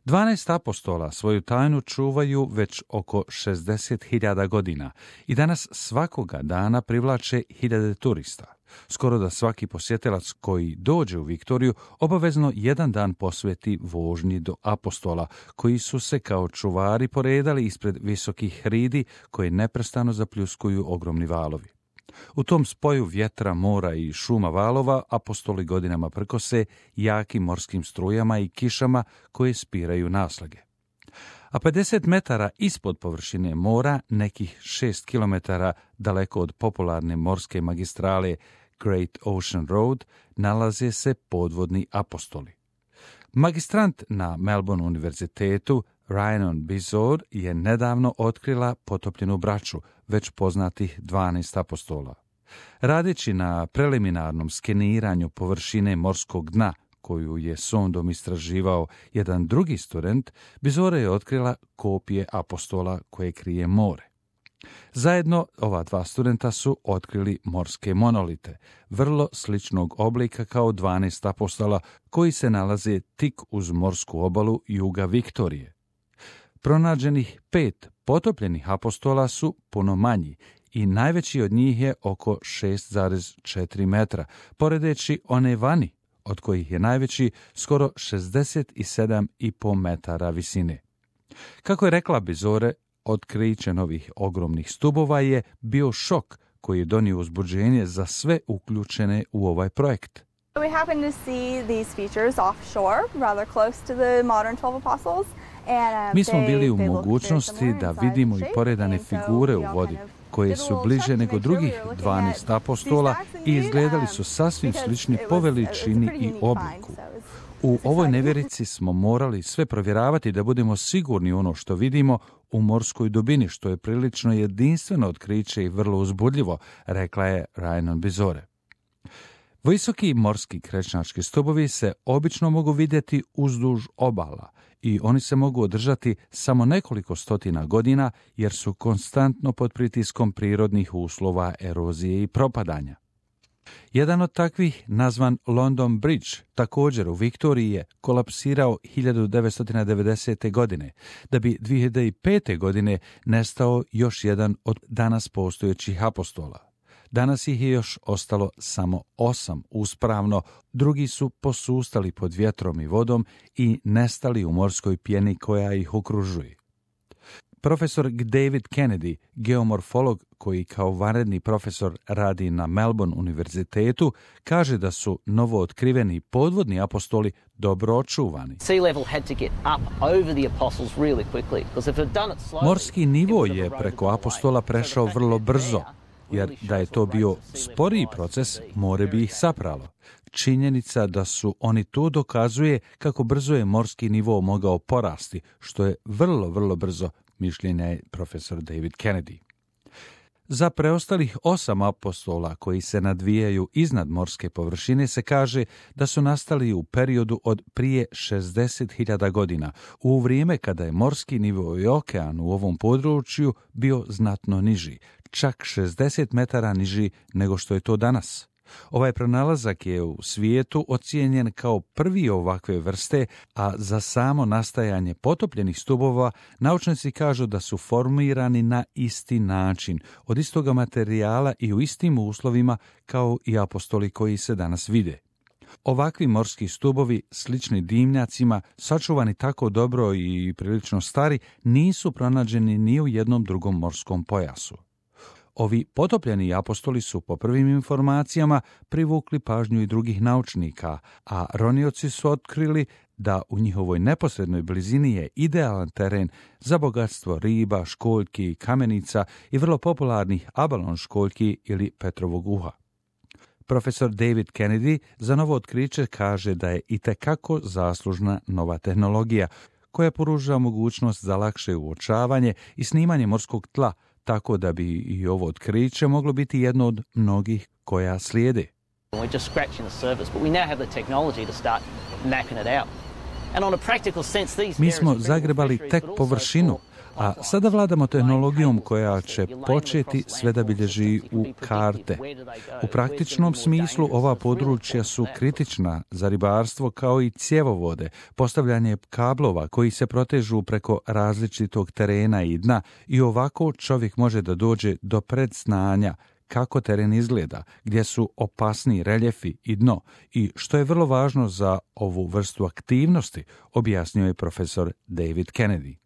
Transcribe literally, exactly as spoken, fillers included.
Dvanaest apostola svoju tajnu čuvaju već oko šezdeset hiljada godina i danas svakoga dana privlače hiljade turista. Skoro da svaki posjetilac koji dođe u Viktoriju obavezno jedan dan posveti vožnji do apostola, koji su se kao čuvari poredali ispred visokih hridi koje neprestano zapljuskuju ogromni valovi. U tom spoju vjetra, mora i šuma valova apostoli godinama prkose jakim morskim strujama i kišama koje spiraju naslage. A pedeset metara ispod površine mora, nekih šest kilometara daleko od popularne morske magistrale Great Ocean Road, nalaze se podvodni apostoli. Magistrant na Melbourne univerzitetu Rhiannon Bizor je nedavno otkrila potopljenu braću, već poznatih dvanaest apostola. Radeći na preliminarnom skeniranju površine morskog dna, koju je sondom istraživao jedan drugi student, Bizore je otkrila kopije apostola koje krije more. Zajedno ova dva studenta su otkrili morske monolite, vrlo sličnog oblika kao dvanaest apostola koji se nalaze tik uz morsku obalu juga Viktorije. Pronađenih pet potopljenih apostola su puno manji i najveći od njih je oko šest zarez četiri metra, poredeći one vani, od kojih je najveći skoro šezdeset sedam zarez pet metara visine. Kako je rekla Bizore, otkriće novih ogromnih stubova je bio šok koji je donio uzbuđenje za sve uključene u ovaj projekt. We happen to see these features offshore, rather close to the modern twelve apostles. Mi smo bili u mogućnosti da vidimo i poredane figure u vodi, koje su bliže nego drugih dvanaest apostola i izgledali su sasvim slični po veličini i obliku. U ovoj nevjerici smo morali sve provjeravati da budemo sigurni u ono što vidimo u morskoj dubini, što je prilično jedinstveno otkriće i vrlo uzbudljivo, rekla je Rhiannon Bizore. Visoki morski krečnački stubovi se obično mogu vidjeti uzduž obala i oni se mogu održati samo nekoliko stotina godina jer su konstantno pod pritiskom prirodnih uslova, erozije i propadanja. Jedan od takvih, nazvan London Bridge, također u Viktoriji je kolapsirao hiljadu devetsto devedesete. godine, da bi dvije hiljade pete. godine nestao još jedan od danas postojećih apostola. Danas ih je još ostalo samo osam uspravno, drugi su posustali pod vjetrom i vodom i nestali u morskoj pjeni koja ih okružuje. Profesor David Kennedy, geomorfolog koji kao vanredni profesor radi na Melbourne univerzitetu, kaže da su novo otkriveni podvodni apostoli dobro očuvani. Morski nivo je preko apostola prešao vrlo brzo, jer da je to bio sporiji proces, more bi ih sapralo. Činjenica da su oni tu dokazuje kako brzo je morski nivo mogao porasti, što je vrlo, vrlo brzo, mišljenja je profesor David Kennedy. Za preostalih osam apostola koji se nadvijaju iznad morske površine se kaže da su nastali u periodu od prije šezdeset hiljada godina, u vrijeme kada je morski nivo i okean u ovom području bio znatno niži, čak šezdeset metara niži nego što je to danas. Ovaj pronalazak je u svijetu ocijenjen kao prvi ovakve vrste, a za samo nastajanje potopljenih stubova naučnici kažu da su formirani na isti način, od istoga materijala i u istim uslovima kao i apostoli koji se danas vide. Ovakvi morski stubovi, slični dimnjacima, sačuvani tako dobro i prilično stari, nisu pronađeni ni u jednom drugom morskom pojasu. Ovi potopljeni apostoli su po prvim informacijama privukli pažnju i drugih naučnika, a ronioci su otkrili da u njihovoj neposrednoj blizini je idealan teren za bogatstvo riba, školjki, kamenica i vrlo popularnih abalon školjki ili Petrovog uha. Profesor David Kennedy za novo otkriće kaže da je itekako zaslužna nova tehnologija koja pruža mogućnost za lakše uočavanje i snimanje morskog tla, tako da bi i ovo otkriće moglo biti jedno od mnogih koja slijede. Mi smo zagrebali tek površinu, A sada vladamo tehnologijom koja će početi sve da bilježi u karte. U praktičnom smislu ova područja su kritična za ribarstvo kao i cjevovode, postavljanje kablova koji se protežu preko različitog terena i dna i ovako čovjek može da dođe do predznanja kako teren izgleda, gdje su opasniji reljefi i dno i što je vrlo važno za ovu vrstu aktivnosti, objasnio je profesor David Kennedy.